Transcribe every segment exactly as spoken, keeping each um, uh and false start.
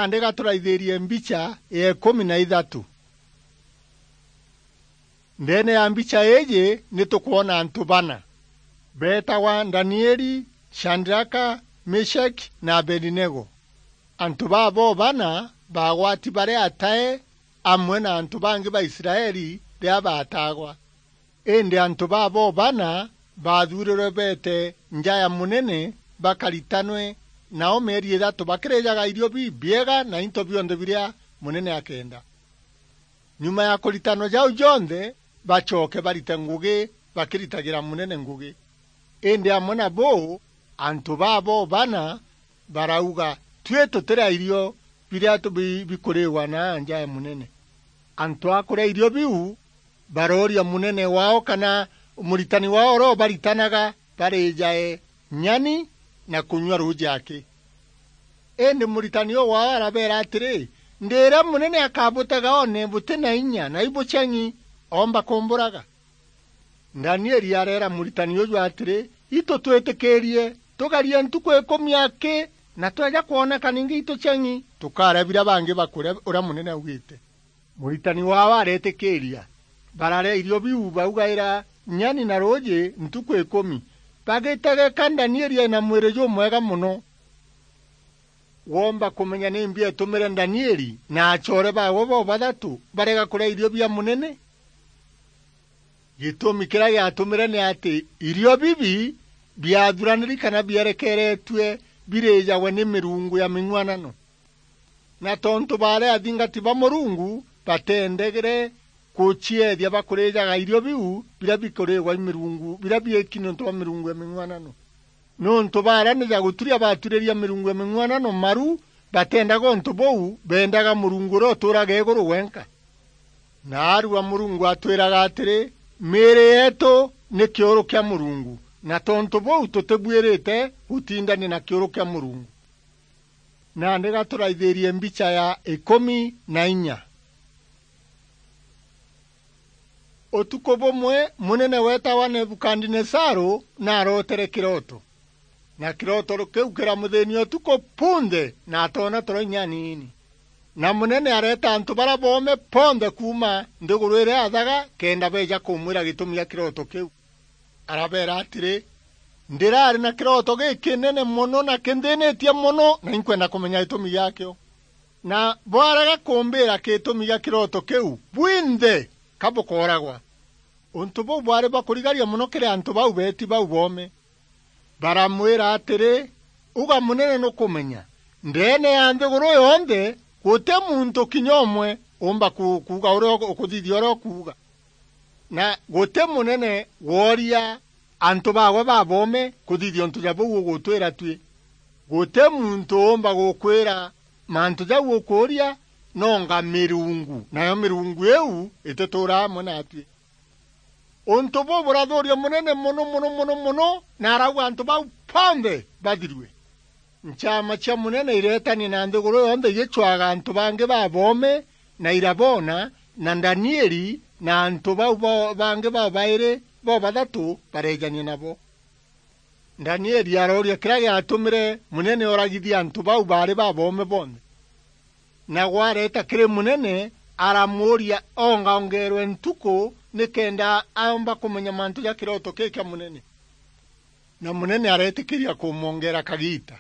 Nandi gaturaithirie mbicha ya ikumi na ithatu. Ndeene ya mbicha iiji ni tukwona antu bana beetagwa Danieli, Shadraka, Meshaki na Abedinego. Antu babo bana baagwati bari atae amwe na antu bangi ba Israeli riria baataagwa. Indi antu babo bana baathuurirwe beete nja ya munene bakaritanwe nao mieri ithatu bakirijaga irio bibiega na into bionthe biria munene akenda. Nyuma ya kuritanwa jau jonthe, bacoke barite ngugi bakiritagira munene ngugi. Indi amwe na buu, antu babo bana barauga, "Tui tutiria irio biria tu-, bi-, bikuriigwa na nja ya munene." Antu a kuria irio biu barooria munene wao kana muritani wao uria ubaritanaga barijae nyani na kunyua ruuji aki. Indi muritani uu wao arabeera atiri, "Ndiira munene akabutega one buti na inya na ibucheng'i, oomba kumburaga." Danieli areera muritani uju atiri, "Itu twitikiirie tugarie ntuku ikumi aki, na tweja kwoneka ningi itucheng'i, tukaria biria bangi bakuria uria munene augite." Muritani wao areetikiiria. Bararia irio biu baugaira nyani na ruuji ntuku ikumi, bagitegeka Danieli ena mwiri jumwega mono. Woomba kumenya nimbi eetumire Danieli na acoore baawe bobathatu barega kuria irio bia munene? Gitumi kiria giatumire ni ati irio bibi biathuraniri kana bierekeretue birijagwe ni mirungu ya ming'uanano. Na tontu baari athingati ba Murungu, bateendegere kucieethia bakurijaga irio biu biria bikuriigwa i mirungu, biria biiki niuntu bwa mirungu ya ming'uanano. Niuntu baaranija guturia baaturiria mirungu ya ming'uanano maru, bateendaga untu buu, beendaga Murungu uria utuuraga iguru wenka. Naarua Murungu atwiraga atiri, miiri yeetu ni kiuru kia Murungu, na tontu buu tutibuirite gutindania na kiuru kia Murungu. Nandi gaturaithirie mbicha ya ikumi na inya. Utuku bumwe, munene weetagwa Nebukadinezaru naarootere kirooto, na kirooto kiu kiramuthiinia utuku bunthe, na atoona toro inya aniini. Na munene areeta antu baria boome bonthe kuuma nthiguru iria athaga, kenda beeja kumwira gitumi gia kirooto kiu. Arabeera atiri, "Ndiraari na kirooto gikinene mono na kinthinitie mono, na inkwenda kumenya gitumi giakio." Na bwarega kumbiira gitumi gia kirooto kiu, bwinthe ka bukooragwa. Untu buu bwaari bwa kurigaria mono kiri antu bau beeti bau boome. Baramwira atiri, "Uga munene nukumenya, ndeene ya nthiguru yonthe, guti muntu kinya umwe uumba ku-, kuuga uria uku-, ukuthithia uria ukuuga. Na guti munene wooria antu baawe baboome kuthithia untu ja buu ugutwira tui. Guti muntu uumba gukwira mantu jau ukuuria, nonga mirungu, nayo mirungu iu itituura amwe naatui." Untu buu burathuuria munene mono, mono, mono, mono, na arauga antu bau bonthe bathirue. Nchaama cia munene ireetania na nthiguru yonthe igicwaga antu bangi baboome, na iraboona, na Danieli na antu bau bo-, bangi babairi bobathatu bareejania nabo. Danieli arooria kiria giatumire munene ooragithia antu bau baari baboome bonthe. Nawe areeta kiri munene, aramuuria ongaongeerwe ntuku nikenda aomba kumenya mantu ja kirooto kii kia munene. Na munene areetikiria kumwongeera kagiita.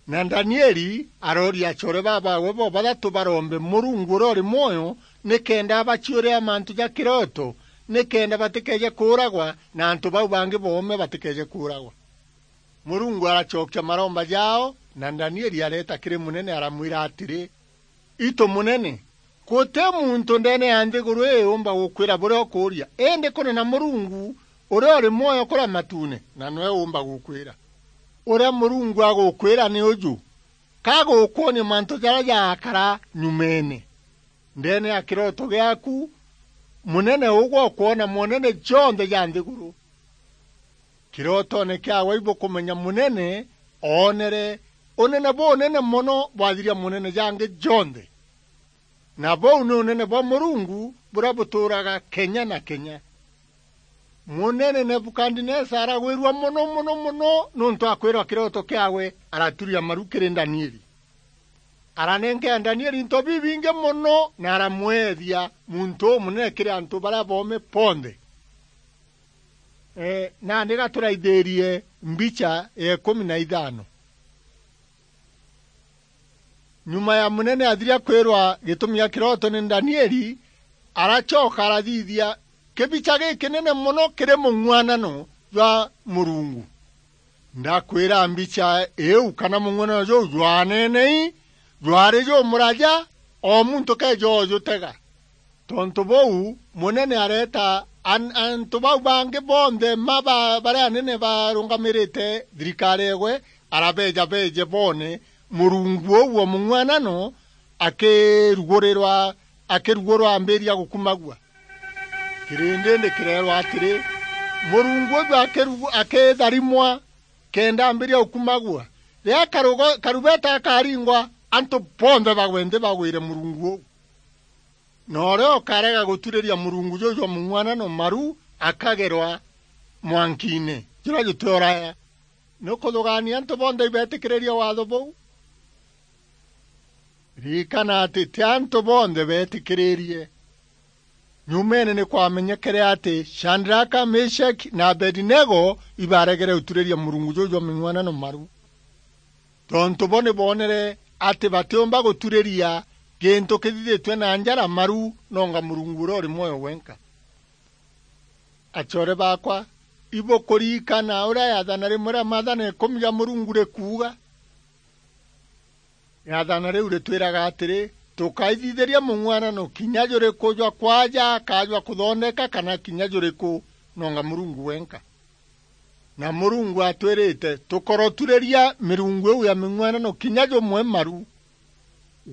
Na Danieli arooria acoore babaawe bobathatu barombe Murungu uria uri mwoyo, nikenda abaciuria mantu ja kirooto, nikenda batikeeje kuuragwa, na antu bau bangi boome batikeeje kuuragwa. Murungu aracokia maromba jaao, na Danieli areeta kiri munene aramwira atiri, "Itu munene, guti muntu ndeene ya nthiguru ii uumba gukwira buria ukuuria, indi kunena Murungu uria uri mwoyo kuria matuune, na niwe uumba gukwira. Uria Murungu agukwira ni uju, ka gukwonia mantu jaria jaakara nyumeene. Ndeene ya kirooto giaku, munene ugwe ukwona monene jonthe ja nthiguru." Kirotoone kiaawe ibukumenya munene oonere unene bunene mono bwathiria monene jangi jonthe. Na buu ni unene bwa Murungu buria butuuraga kenya na kenya. Munene Nebukadinesa aragwirua mono, mono, mono niuntu akwirwa kirooto kiaawe, araturia maru kiri Danieli. Aranenkea Danieli into bibingi mono, na aramweethia muntu umunene kiri antu baria boome bonthe. Ee, nandi ga turaithirie mbicha ya ikumi na ithano. Nyuma ya munene athiria kwirwa gitumi gia kiroto ni Danieli, aracoka arathithia kibicha gikinene mono kiri mung'uanano jwa Murungu. Ndakwira mbicha iu kana mung'uanano juu jwanenei, jwari jumuraja, o muntu keeja ujutega. Tontu buu, munene areeta an-, antu bau bangi bonthe ma ba-, baria anene barungamirite thirikari eegwe, arabeeja beeje boone murungu uu wa mung'uanano akirugurirwa, akirugurwa ambiria gukumagua. Kirindi ni kireerwa atiri, murungu uju akirugu-, akitharimwa kenda ambiria gukumagua. Riria karugo-, karubeta akaringwa, antu bonthe bagwe nthi bagwire murungu uu. Na uria ukarega guturiria murungu juu jwa mung'uanano maru akagerwa mwankiine juria juti uraya. Ni ukuthugaania antu bonthe ibeetikiririe waatho buu? Ririkana ati ti antu bonthe beetikiririe. Nyumeene ni kwamenyekere ati Shadraka, Meshaki na Abedinego ibaregere guturiria murungu juu jwa ming'uanano maru. Tontu bo ni boonere ati batiumba guturiria gintu kithithitue na njara maru, nonga Murungu uria uri mwoyo wenka. Acoore baakwa, ibukuririkana uria yaathana rimwe ria maathana ikumi ja Murungu rikuuga? Yaathana riu ritwiraga atiri, tukaithithiria mung'uanano kinya juriku jwa kwaaja ka jwa kuthondeka kana kinya juriku, nonga Murungu wenka. Na Murungu atwirite tukoroturiria mirungu iu ya ming'uanano kinya jumwe maru.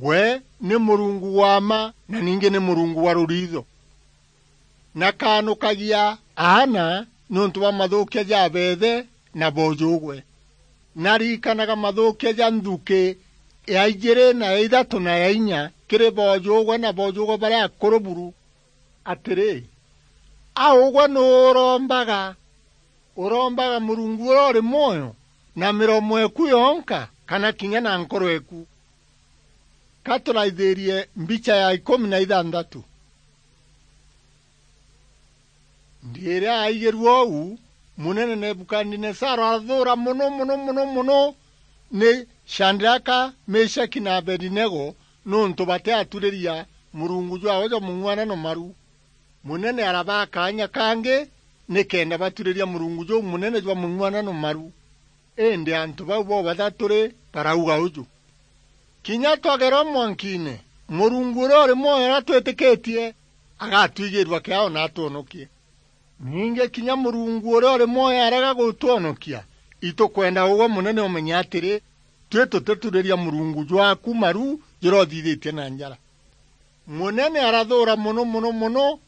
We ni Murungu wa mma na ningi ni Murungu wa ruriitho. Na kaanukagia aana niuntu bwa mathuukia ja beethe na boojugwe. Na ririkanaga mathuukia ja nthuki ya ijiri na ya ithatu na ya inya kiri boojugwe na boojugwe baria akuru buru. Atiri, a ugwe nuu urombaga? Urombaga Murungu uria uri mwoyo na miromo eku yonka, kana kinya na nkoro eku? Ka turaithirie mbicha ya ikumi na ithanthatu. Ndiria aigirue uu, munene Nebukadinezaru arathuura mono, mono, mono, mono ni Shadraka, Meshaki na Abedinego, niuntu batiaturiria Murungu jwaawe jwa mung'uanano maru. Munene arabaa kaanya kangi nikenda baturiria Murungu juu munene jwa mung'uanano maru. Indi antu bau bobathatu ri barauga uju, "Kinya twagerwa mwankiine, Murungu uria uri mwoyo uria twitikitie agatwigirua kiao na atwonokie. Ningi kinya Murungu uria uri mwoyo arega gutwonokia, itukwenda ugwe munene umenye atiri, twi tutituriria Murungu jwaaku maru juria uthithitie na njara." Munene arathuura mono, mono, mono,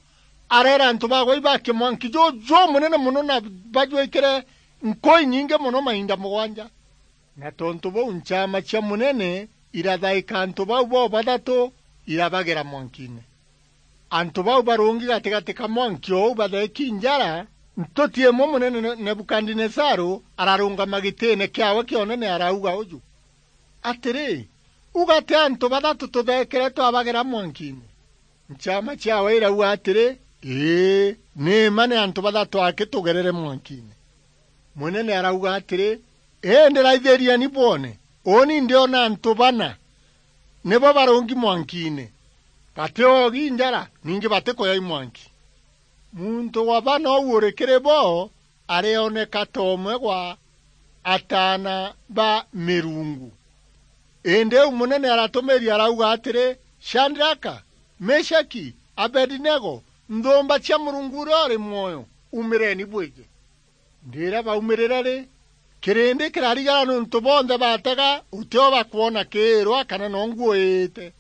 areera antu bagwe ibaakie mwanki juju jumunene mono na bajwikire nkuu inyingi mono mainda mugwanja. Na tontu buu nchaama cia munene irathaika antu bau bobathatu, irabagera mwankiine. Antu bau barungi gatigati ka mwanki uu batheeki njara, ntuti imwe munene Ne-, Nebukadinezaru ararungama gitiine kiaawe kia unene arauga uju, "Atiri, uga ti antu bathatu tutheekere twabagera mwankiine?" Nchaama ciaawe irauga atiri, "Ii, ni mma ni antu bathatu aki tugerere mwankiine." Munene arauga atiri, "Indi raithirieni bwone, uuni ndiona antu bana, nibo barungi mwankiine, bati oogi njara, ningi bati kuyai mwanki." Muntu wa bana uu uri kiri bo arioneka ta umwe gwa ataana ba mirungu. Indi iu munene aratumiria arauga atiri, "Shadraka, Meshaki, Abedinego, nthumba cia Murungu uria uri mwoyo, umireni bwije." Ndiria baumirire ri, kirindi kirarigara niuntu bonthe batega utio bakwona kiirwa kana no nguu iite.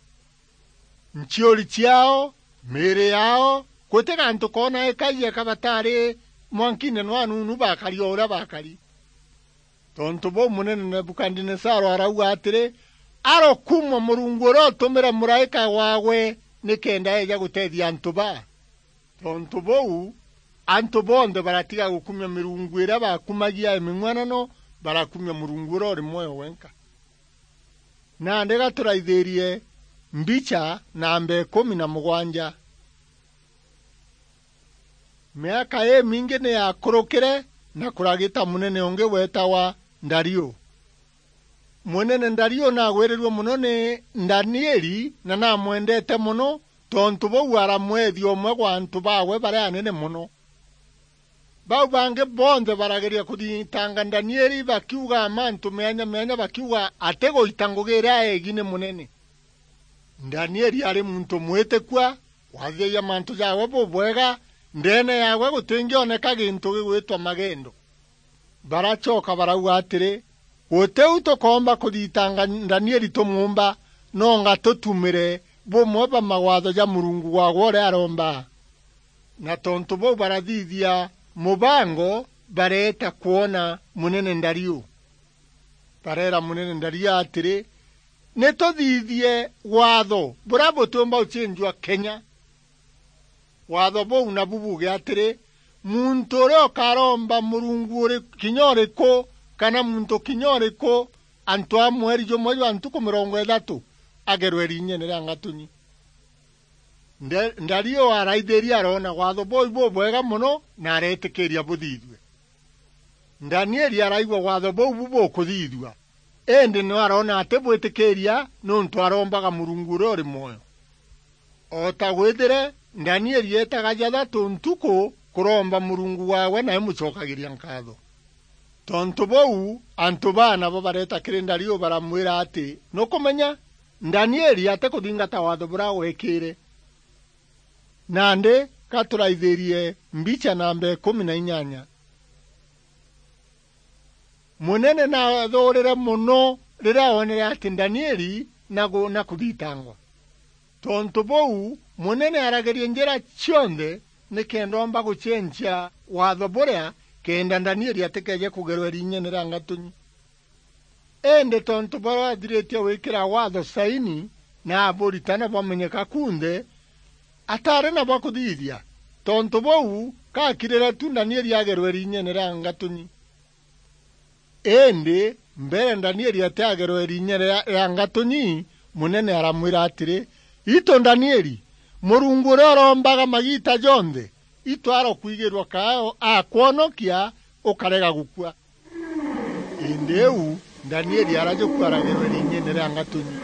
Nchiuri ciao, miiri yao, guti gantu koona ikaiyeka batari mwankiine nwanunu bakari o uria bakari. Tontu buu munene Nebukadinezaru arauga atiri, "Arokumwa Murungu uria utumire muraika waawe nikenda eeja guteethia antu baa." Tontu buu, antu bonthe baratiga gukumia mirungu iria bakumagia ya ming'uanano, barakumia Murungu uria uri mwoyo wenka. Nandi gaturaithirie mbicha namba ikumi na mugwanja. Miaka imingi ni yakurukire, na kuragita munene ungi weetagwa Dario. Munene Dario naagwirirue mono ni Danieli, na naamwendete mono, tontu buu aramwethia umwe gwa antu baawe baria anene mono. Bau bangi bonthe barageria kuthitanga Danieli, bakiuga mantu meanya meanya, bakiuga atiguita ngugi iria eegi ni munene. Danieli ari muntu mwitikua, wathithagia mantu jaawe bubwega, ndeene yaawe gutingioneka gintu gigwitwa magendo. Baracoka barauga atiri, "Gutiu tukoomba kuthitanga Danieli tumuumba, nonga tutumire bumwe bwa mawatho ja Murungu waagwe uria aroomba." Na tontu buu barathithia mubango, bareeta kwona munene Dario. Bareera munene Dario atiri, "Ni tuthithie waatho buria butiumba gucenjua kenya." Waatho buu nabu buuge atiri, "Muntu uria ukaromba murungu uri kinya uriku, kana muntu kinya uriku, antu a mweri jumwe jwa ntuku mirongo ithatu, agerwe riinyeene ria ngatunyi." Nda-, Dario araithiria, aroona waatho buu bubwega mono, na areetikiria buthithue. Danieli araigua waatho buu bu bukuthithua, indi no aroona ati bwitikiria, niuntu arombaga Murungu uria uri mwoyo. O ta gwithire, Danieli eetaga jathatu ntuku kuromba Murungu waawe na imucokagiria nkaatho. Tontu buu, antu baa nabo bareeta kiri Dario baramwira ati, "Nukumenya, Danieli atikuthingata waatho buria weekire." Nandi gaturaithirie mbicha namba ikumi na inyanya. Munene naathuurire mono riria oonere ati Danieli na gu-, na kuthitangwa. Tontu buu, munene aragerie njira cionthe nikenda oomba gucenjia waatho buria, kenda Danieli atikeeje kugerwa riinyeene ria ngatunyi. Indi tontu baria athiritie gwikira waatho saini na aburitana bwamenyeka kunthe, ataari na bwa kuthithia. Tontu buu, gakirire tu Danieli agerwe riinyeene ria ngatunyi. Indi mbere Danieli atiagerwe riinyeene ria, ria ngatunyi, munene aramwira atiri, "Itu Danieli, Murungu uria urombaga magiita jonthe, itu arokwigirua kaao akwonokia ukarega gukua." Indi iu Danieli arajukua aragerwe riinyeene ria ngatunyi.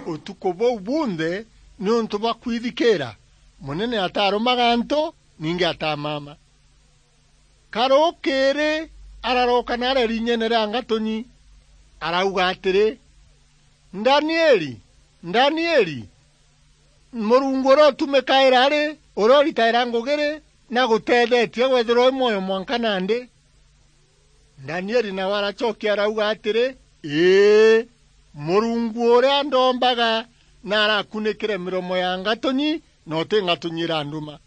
Utuku buu bunthe, niuntu bwa kwithikiira, munene atarumaga antu, ningi atamama. Karukiiri araroka na aria riinyeene ria ngatunyi, arauga atiri, "Danieli, Danieli, Murungu uria utumikaira ri, uria uritaira ngugi ri, na guteethetie wethirwa wi mwoyo mwanka nandi?" Danieli nawe aracokia arauga atiri, "Ii, Murungu uria ndombaga na arakunikire miromo ya ngatunyi, na uti ngatunyi iranduma."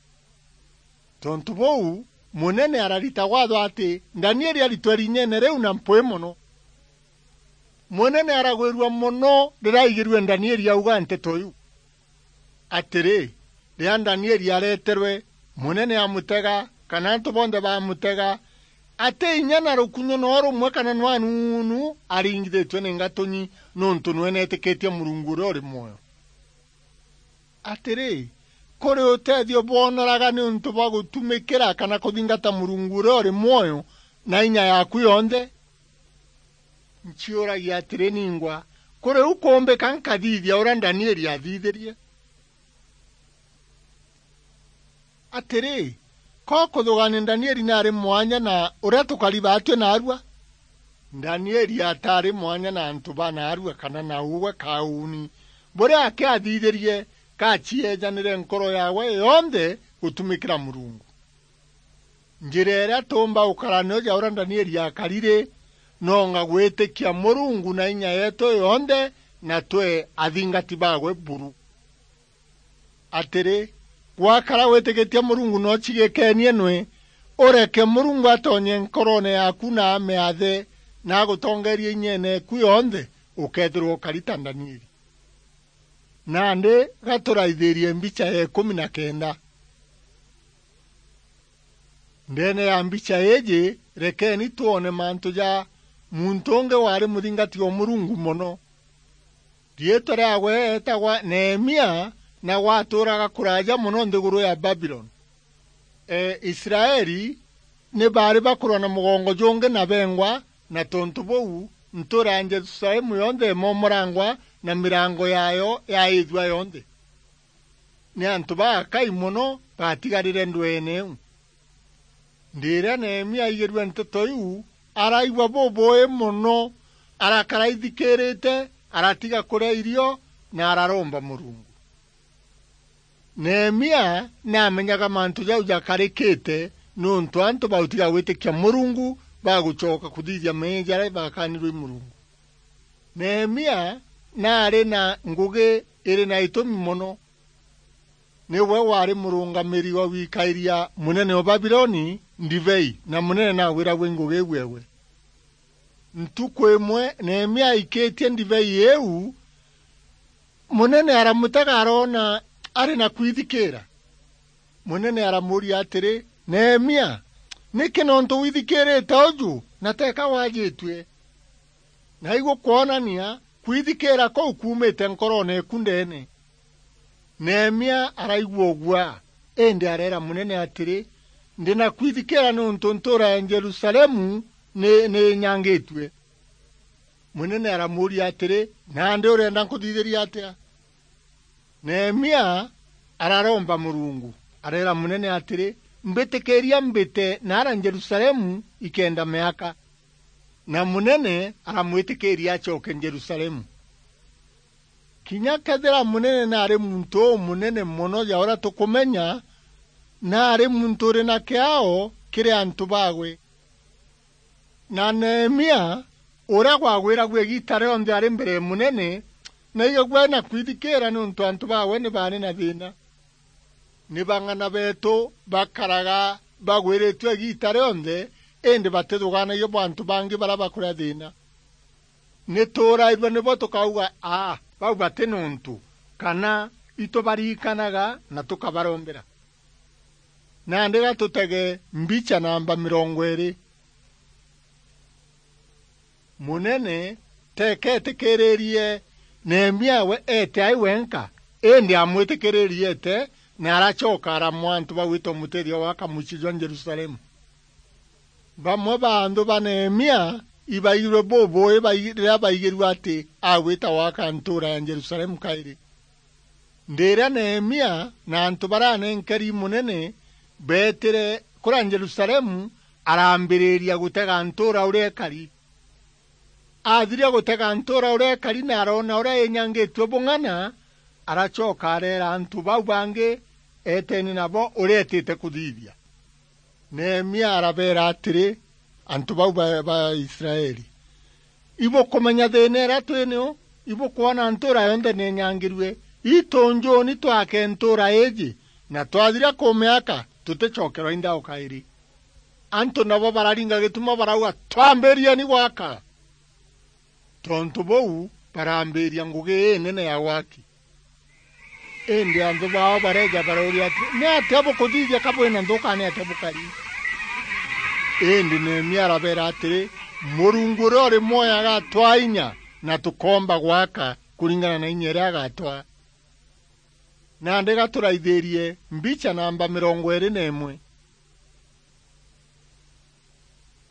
Tontu buu, munene ararita waatho ati Danieli aritwe riinyeene riu na mpwi mono. Munene aragwirua mono riria aigirue Danieli auga nteto iu. Atiri, riria Danieli areterwe, munene amutega, kana antu bonthe bamutega, ati inya na rukunyu no rumwe kana no anuunu aringithitue ni ngatunyi, niuntu nwe neetikitie Murungu uria uri mwoyo. Atiri, kuri utethio bwonoraga niuntu bwa gutumikira kana kuthingata Murungu uria uri mwoyo na inya yaku yonthe? Nciuragia atiri ningwa, kuri u kuumbika nkathithia uria Danieli aathithirie? Atiri, ko kuthugania Danieli naari mwanya na uria tukari baatue naarua? Danieli ataari mwanya na antu ba naarua kana na ugwe kauni buria akiathithirie gacieejanire nkoro yaawe yonthe gutumikira Murungu. Njira iria tuumba gukara nayo ja uria Danieli akari ri, nonga gwitikia Murungu na inya yeetu yonthe, na twe athingati baawe buru. Atiri, gwakara gwitikitie Murungu no cigikenie nwe, ureke Murungu atonye nkoroone yaaku na amiathe, na agutongeerie inyeene eku yonthe, ukeethirwa ukari ta Danieli. Nandi gaturaithirie mbicha ya ikumi na kenda. Ndeene ya mbicha iiji, rekeni twone mantu ja muntu ungi waari muthingati o Murungu mono. Riitwa riaawe eetagwa Nehemia, na gwatuuraga kuraaja mono nthiguru ya Babiloni. E, Israeli ni baari bakurwa na mugongo jungi na bengwa, na tontu buu, ntuura ya Jerusalemu yonthe imomorangwa na mirango yaayo yaithua yonthe. Ni antu bakai mono baatigarire ndweene iu. Riria Nehemia aigirue nteto iu, araigua bubuui mono, arakara aithikirite, aratiga kuria irio, na araromba Murungu. Nehemia ni aamenyaga mantu jau jakarikite, niuntu antu bautiga gwitikia Murungu bagucoka kuthithia meeyia jaria bakaanirue i Murungu. Nehemia naari na ngugi iri na itumi mono. Niwe waari murungamiri wa gwikairia munene wa Babiloni ndibei, na munene naagwiragua i ngugi iu ewe. Ntuku imwe Nehemia aikitie ndibei iu, munene aramutega aroona ari na kwithikira. Munene aramuuria atiri, "Nehemia, niki nontu withikirite uju, na teeka waajitue?" Na igukwonania kwithikira kuu kuumite nkoroone eku ndeene. Nehemia araigua uguaa, indi areera munene atiri, "Ndi na kwithikira niuntu ntuura ya Jerusalemu ni, ni inyangitue." Munene aramuuria atiri, "Nandi urenda nkuthithirie atia?" Nehemia araromba Murungu, areera munene atiri, "Mbitikiria mbite naara Jerusalemu ikenda miaka." Na munene aramwitikiria acoke Jerusalemu. Kinya kethira munene naari muntu umunene mono ja uria tukumenya, naari muntu uri na kiao kiri antu baawe. Na Nehemia, uria gwagwiragua igiita rionthe ari mbere ya munene, naigagua ari na kwithikira niuntu antu baawe ni baari na thiina. Ni bang'ana beetu bakaraga bagwiritue igiita rionthe, indi batithugaanagia bwa antu bangi baria bakuria thiina. Ni tuurairua nibo tukauga, "Aa, bau bati na untu," kana itubarikanaga na tukabarombera. Nandi ga tutege mbicha namba mirongo iiri. Munene teeka eetikiririe Nehemia we eete ai wenka, indi amwitikiririe eete, na aracoka aramwa antu bagwita umutethia gwaka mucii jwa Jerusalemu. Bamwe ba anthu ba Nehemia ibaigirwe bubuui bai-, riria baigirue ati agwita gwaka ntuura ya Jerusalemu kairi. Ndiria Nehemia na antu baria anenkeri munene beetire kuria Jerusalemu, araambiriria gutega ntuura uria ikari. Aathiria gutega ntuura uria ikari na aroona uria inyangitue bung'ana, aracoka areera antu bau bangi eeteni nabo uria eetite kuthithia. Nehemia arabeera atiri, antu bau ba, ba Israeli, "Ibukumenya thiina iria twi nio? Ibukwona ntuura yonthe ni inyangirue? Itu njuuni twake ntuura iiji, na twathiria kumiaka, tuticokerwa i nthao kairi." Antu nabo bararinga gituma barauga, "Twambirieni gwaka!" Tontu buu, barambiria ngugi inene ya gwaki. Indi anthu baao bareeja barauria atiri, "Ni atia bukuthithia ka bwina nthu, kana ni atia bukari?" Indi Nehemia arabeera atiri, "Murungu uria uri mwoyo agatwaa inya, na tukoomba gwaka kuringana na inya iria agatwaa." Nandi ga turaithirie mbicha namba mirongo iiri na imwe.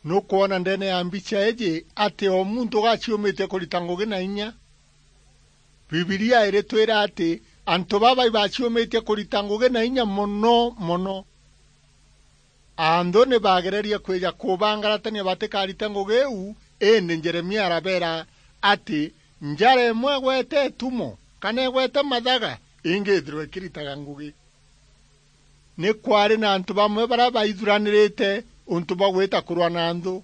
Nukwona ndeene ya mbicha iiji ati o muntu ugaciumitie kurita ngugi na inya? Bibilia iritwira ati antu baba ibaciumitie kurita ngugi na inya mono mono. Anthu ni bagererie kwija kubangaratania batikarite ngugi iu, indi Jeremia arabeera ati, "Njara imwe igwete itumo, kana igwete mathaga, ingi ithirwe ikiritaga ngugi." Ni kwaari na antu bamwe baria baithuranirite untu bwa gwita kurwa na nthu.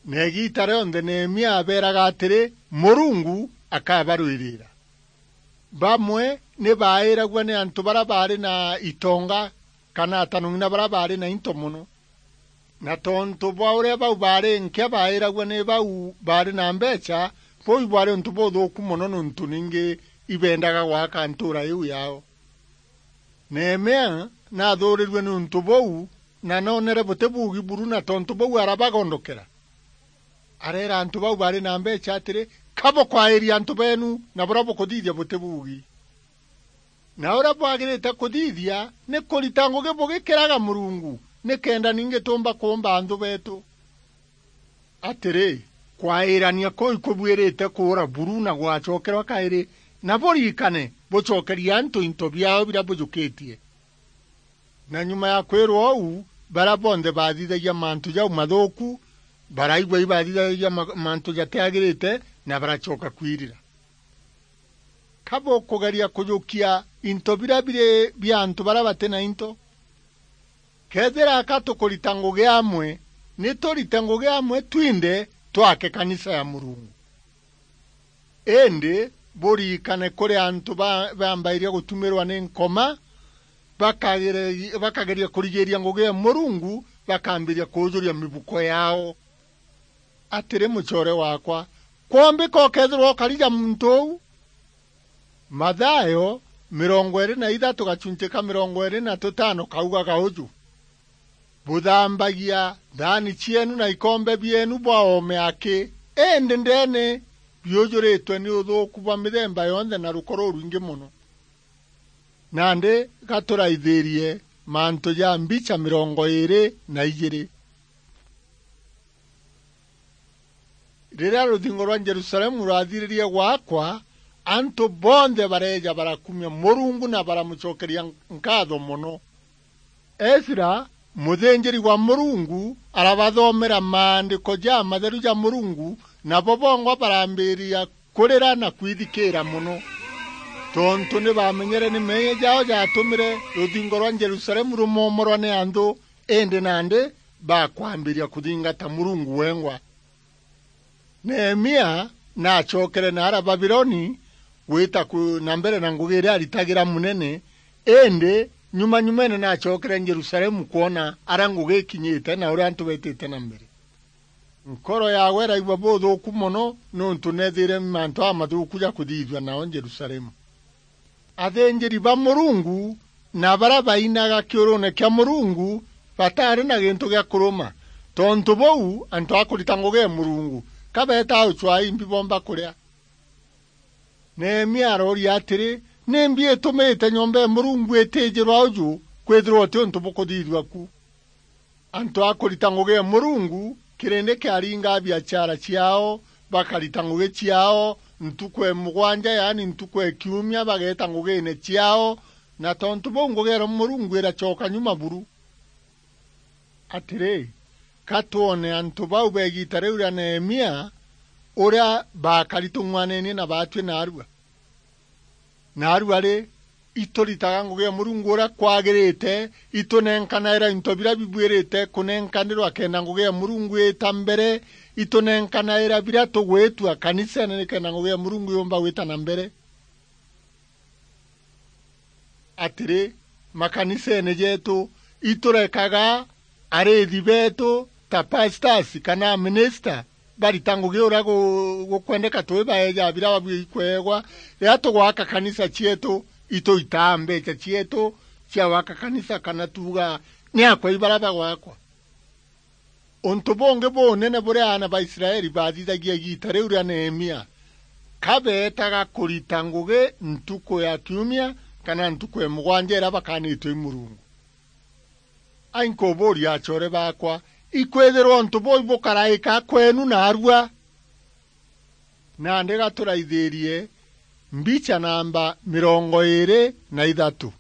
Na igiita rionthe Nehemia abeeraga atiri, "Murungu akabarwirira." Bamwe ni baairagua ni antu baria baari na itonga, kana atanong'ina baria baari na into mono. Na tontu bwa uria bau baari nkia baairagua ni bau baari na mbeecha, buu ibwaari untu buthuuku mono, niuntu ningi ibeendaga gwaka ntuura iu yaao. Nehemia naathuurirue niuntu buu, na noonere buti buugi buru, na tontu buu arabagondokera. Areera antu bau baari na mbeecha atiri, ka bukwairia antu beenu, na buria bukuthithia buti buugi. Na uria bwagirite kuthithia ni kurita ngugi bugikiraga Murungu, nikenda ningi tuumba kuumba anthu beetu. Atiri, kwairania kuu ikubuirite kuura buru na gwacokerwa kairi, na buririkane bucokerie antu into biaao biria bujukitie. Na nyuma ya kwirwa uu, baria bonthe baathithagia mantu jau mathuuku, baraigua ibathithagia ma-, mantu jatiagirite, na baracoka kwirira. Ka bukugeria kujukia into biria biri bia antu baria bati na into? Kethira ka tukurita ngugi amwe, ni turite ngugi amwe twinthe twake kanisa ya Murungu. Indi buririkane kuri antu ba-, bambairia gutumirwa ni nkoma, bakagere-, bakageria kurigiria ngugi ya Murungu, bakambiria kuujuria mibuko yao. Atiri, mucoore waakwa, kwombika ukeethirwa ukari ja muntu uu? Mathayo mirongo iiri na ithatu gachunchi ka mirongo iiri na tutano kaugaga uju, "Buthambagia thaani cieenu na ikombe bieenu bwa oome aki, indi ndeene biujuritwe ni uthuuku bwa mithemba yonthe na ruko rurwingi mono." Nandi gaturaithirie mantu ja mbicha mirongo iiri na ijiiri. Riria ruthingo rwa Jerusalemu rwathiririe gwakwa, antu bonthe bareeja barakumia Murungu na baramucokeria nkaatho mono. Ezra, muthinjiri wa Murungu, arabathomera maandiko jamatheru ja Murungu, nabo bongwa barambiria kurira na kwithikiira mono, tontu ni baamenyere ni meeyia jaao jaatumire ruthingo rwa Jerusalemu rumomorwa ni anthu, indi nandi bakwambiria kuthingata Murungu wengwa. Nehemia naacokere naara Babiloni gwita ku-, na mbere na ngugi iria aritagira munene, indi nyuma nyumene naacokere Jerusalemu kwona aria ngugi ikinyite na uria antu betite na mbere. Nkoro yaawe iraigua buthuuku mono, niuntu neethire mantu amathuuku ja kuthithua nao Jerusalemu. Athinjiri ba Murungu na baria bainaga kiuruune kia Murungu bataari na gintu gia kuruma. Tontu buu, antu a kurita ngugi ya Murungu ka beetaa ucwaa imbi boomba kuria. Nehemia arooria atiri, "Nimbi itumite nyomba ya Murungu itiijirwa uju kwithirwa uti untu bukuthithua ku?" Antu a kurita ngugi ya Murungu, kirindi kiaringaa biachara ciaao, bakarita ngugi ciaao, ntuku ya mugwanja, yaani ntuku ya kiumia, bageeta ngugiine ciaao, na tontu buu ngugi ya Murungu iracoka nyuma buru. Atiri, ka twone antu bau ba igiita riu ria Nehemia uria baakari tung'wanenie na baatwi naarua. Naarua ri, ituritaga ngugi ya Murungu uria kwagirite, itunenkanaira into biria bibuirite kunenkanirwa kenda ngugi ya Murungu iita mbere, itunenkanaira biria tugwitua kaniseene nikenda ngugi ya Murungu yumba gwita na mbere. Atiri, makaniseene jeetu iturekaga ariithi beetu ta pastors kana minister barita ngugi uria gu-, gukwendeka twi baeja biria babui kweegwa. Riria tugwaka kanisa cieetu, ituitaa mbeecha cieetu cia gwaka kanisa, kana tuuga ni akwa ibaria bagwakwa. Untu bungi bunene buria aana ba Israeli baathithagia igiita riu ria Nehemia, ka beetaga kurita ngugi ntuku ya kiumia kana ntuku ya mugwanja iria bakaanitwe i Murungu. Ai, nkubuuria acoore baakwa, ikwithirwa untu buu ibukaraika kweenu naarua? Nandi ga turaithirie mbicha namba mirongo iiri na ithatu.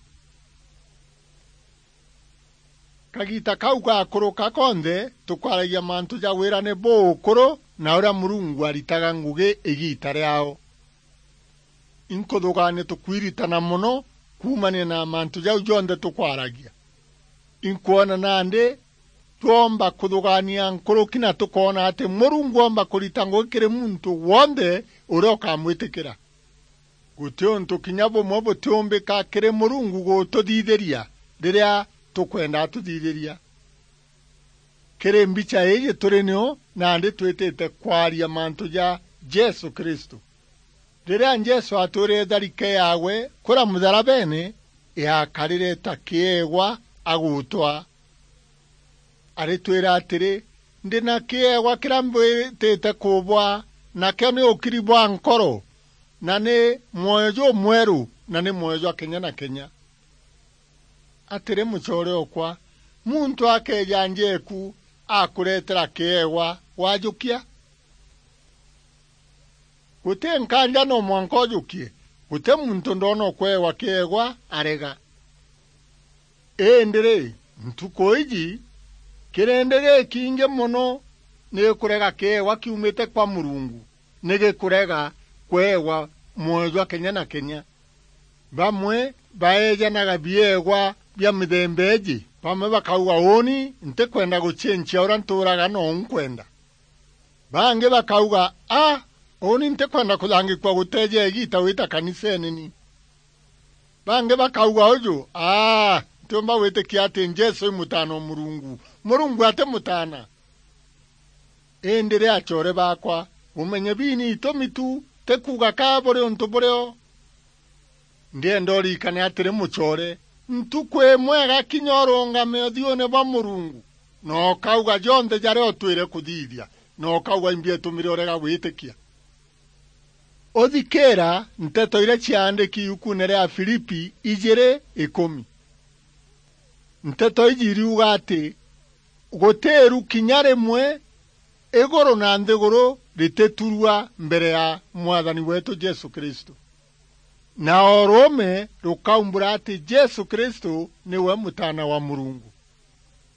Kagiita kau gakuruka konthe, tukwaragia mantu ja wirane buukuru na uria Murungu aritaga ngugi igiita riaao. Inkuthugaania tukwiritana mono kuumania na mantu jau jonthe tukwaragia. Inkwona nandi twomba kuthugaania nkuruki na tukoona ati Murungu oomba kurita ngugi kiri muntu wonthe uria ukamwitikira. Guti untu kinya bumwe butiumbika kiri Murungu gututhithiria riria tukwenda atuthithiria. Kiri mbicha iiji turi nio nandi twitite kwaria mantu ja Jesu Kristu. Riria Jesu atwirire tharike yaawe kuria mutharabene, yaakarire ta kieegwa agutwa. Aritwira atiri, "Ndi na kieegwa kiria mbwitite kubwa, nakio ni ukiri bwa nkoro, na ni mwoyo jumweru, na ni mwoyo jwa kenya na kenya. Atiri, mucoore okwa, muntu akeeja njeeku akureetera kiewa, wajukia? Guti nkaanja no mwanka ujukie, guti muntu ndoona ukweewa kiewa arega. Indi ri, ntuku iji, kirindi gikiingi mono ni kurega kiewa kiumite kwa Murungu, ni gikurega kweewa mwoyo jwa kenya na kenya. Bamwe baeejanaga bieegwa bia mithemba iiji. Bamwe bakauga, "Uuni ntikwenda gucincia uria ntuuraga nou nkwenda." Bangi bakauga, "A, uuni ntikwenda kuthangikua guteeja igiita wita kaniseene ni." Bangi bakauga uju, "A, ntiumba gwitikia ati Jesu i Mutaana o Murungu. Murungu ati Mutaana." Indi ri, acoore baakwa, bumenye biini itumi tu, ti kuuga ka buri untu burio. Ndienda urikane atiri, mucoore, ntuku imwe igakinya urungame uthiune bwa Murungu, na ukauga jonthe jaria utwire kuthithia, na ukauga, "Imbi itumire urega gwitikia?" Uthikiira nteto iria ciaandiki iukuune ria Afilipi ijiri ikumi. Nteto iji iriuga ati, "Guti iru kinya rimwe iguru na nthiguru rititurua mbere ya Mwathani weetu Jesu Kristu. Na o ruume rukaumbura ati Jesu Kristu niwe Mutaana wa Murungu."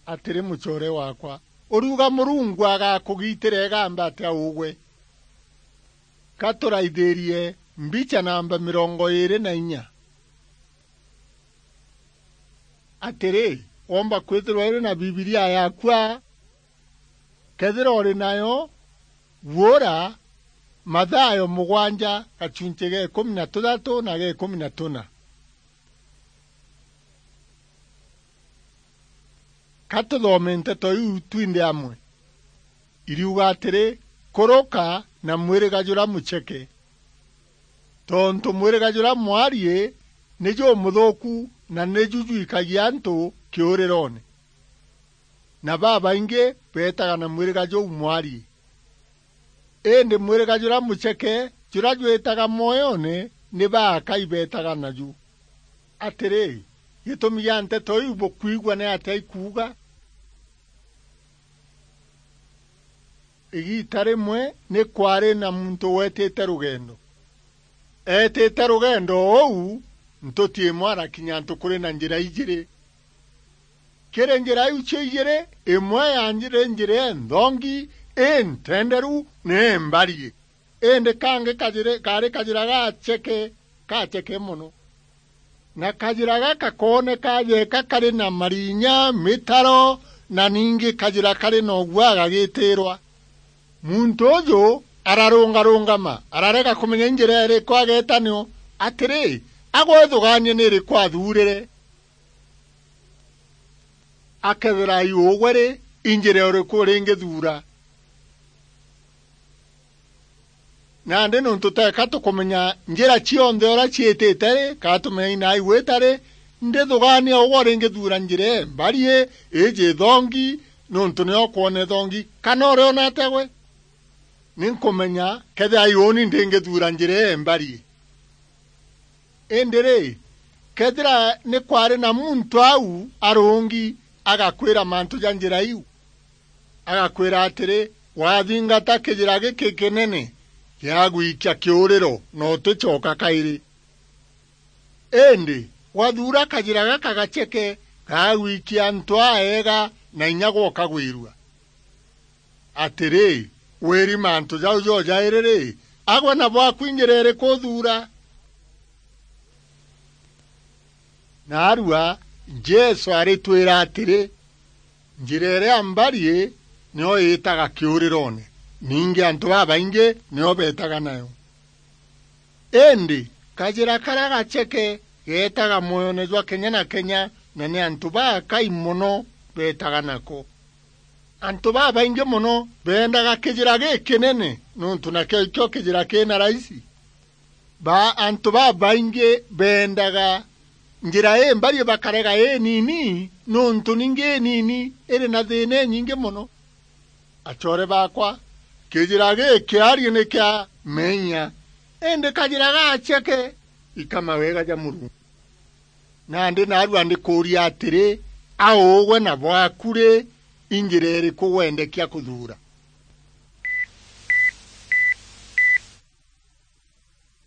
Atiri, mucoore waakwa, uriuga Murungu agakugiitira igamba atia ugwe? Ka turaithirie mbicha namba mirongo iiri na inya. Atiri, womba kwithirwa uri na Bibilia yaaku aa? Kethira uri nayo, guura Mathayo mugwanja, gachunchi ga ikumi na tuthatu na ga ikumi na tuna. Ka tuthome nteto iu twinthe amwe. Iriuga atiri, "Kuruka na mwiriga juria mucheke, tontu mwiriga juria mwarie ni jumuthuuku na ni ju jwikagia antu kiurirone. Na babaingi beetaga na mwiriga juu mwarie. Indi mwiriga juria mucheke, juria jwitaga mwoyone, ni baakai beetaga naju." Atiri, gitumi gia nteto iu bukwigua ni atia ikuuga? Igiita rimwe ni kwaari na muntu weetite rugendo. Eetite rugendo uu, ntuti imwe arakinya antu kuri na njira ijiri. Kiri njira iu cio ijiri, imwe yaari njira inthongi, intenderu, na imbarie. Indi kangi kajiri-, kaari kajira gacheke, gacheke mono. Na kajira gaka kooneka jeeka kari na marinya, mitaro, na ningi kajira kari na ugua gagitirwa. Muntu uju ararungarungama, ararega kumenya i njira iriku ageeta nio. Atiri, agwithugaania ni iriku athuurire. Akethira i ugwe ri, i njira iriku ringithuura? Nandi niuntu teeka tukumenya njira cionthe uria ciitite ri, kana tumenya inaa igwita ri, ndithugaania ugwe ringithuura njira imbarie, iji ithongi, niuntu nio ukwona ithongi, kana uriona atia gwe? Ni nkumenya kethira i uuni ndingithuura njira imbarie. Indi ri, kethira ni kwaari na muntu au arungi agakwira mantu ja njira iu, agakwira atiri, "Wathingata kijira giki kinene, giagwikia kiuriro na uticoka kairi." Indi wathuura kajira gaka gacheke, gagwikia antu aega na inya gwe ukagwirua. Atiri, wiri mantu jau jojairi ri, agwe na bwaku i njira iriku uthuura? Naarua Jesu aritwira atiri, njira iria mbarie nio iitaga kiurirone, ningi antu babaingi nio beetaga nayo. Indi kajira karia gacheke geetaga mwoyone jwa kenya na kenya, na ni antu bakai mono beetaga nako. Antu babaingi mono beendaga kijira gikinene, niuntu nakio ikio kijira kina raisi. Ba-, antu babaingi beendaga njira imbarie bakarega inini, niuntu ningi inini iri na thiina inyingi mono. Acoore baakwa, Kijira giki arie ni kia menya, indi kajira gaceke ika mawega ja Murungu. Nandi naarua ndikuuria atiri, a ugwe na bwaku ri, i njira iriku wendekia kuthuura?